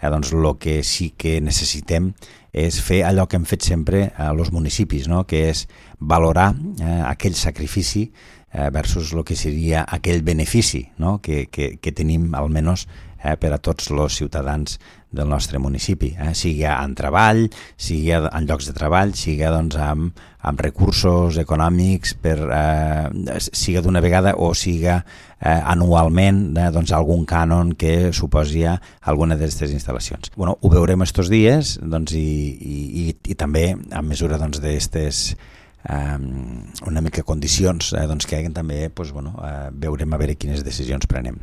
doncs el que sí que necessitem és fer allò que hem fet sempre als municipis, no? Que és valorar aquell sacrifici versus el que seria aquell benefici, no? que tenim almenys per a tots els ciutadans del nostre municipi, sigui en treball, sigui en llocs de treball, sigui doncs, amb recursos econòmics, sigui d'una vegada o sigui anualment doncs, algun cànon que suposi alguna d'aquestes instal·lacions. Bueno, ho veurem estos dies doncs, i també a mesura doncs, d'aquestes una mica condicions doncs, que haguem també, doncs, veurem a veure quines decisions prenem.